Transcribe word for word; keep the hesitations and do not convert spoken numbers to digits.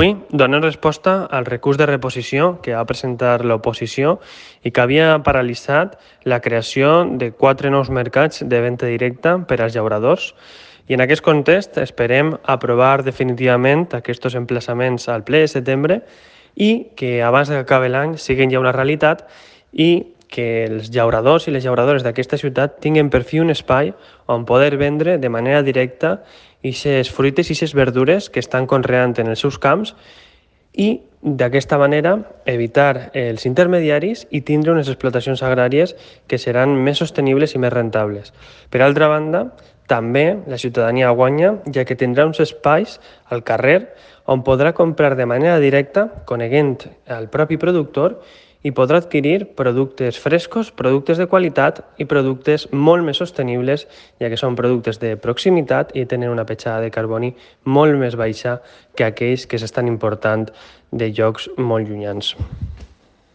Avui donem resposta al recurs de reposició que va presentar l'oposició i que havia paralitzat la creació de quatre nous mercats de venda directa per als llauradors. I en aquest context esperem aprovar definitivament aquests emplaçaments al ple de setembre i que abans que acabi l'any siguin ja una realitat i que els llauradors i les llauradores d'aquesta ciutat tinguin per fi un espai on poder vendre de manera directa aquestes fruites i aquestes verdures que estan conreant en els seus camps i d'aquesta manera evitar els intermediaris i tindre unes explotacions agràries que seran més sostenibles i més rentables. Per altra banda, també la ciutadania guanya, ja que tindrà uns espais al carrer on podrà comprar de manera directa, coneguent el propi productor, i podrà adquirir productes frescos, productes de qualitat i productes molt més sostenibles, ja que són productes de proximitat i tenen una petjada de carboni molt més baixa que aquells que s'estan important de llocs molt llunyans.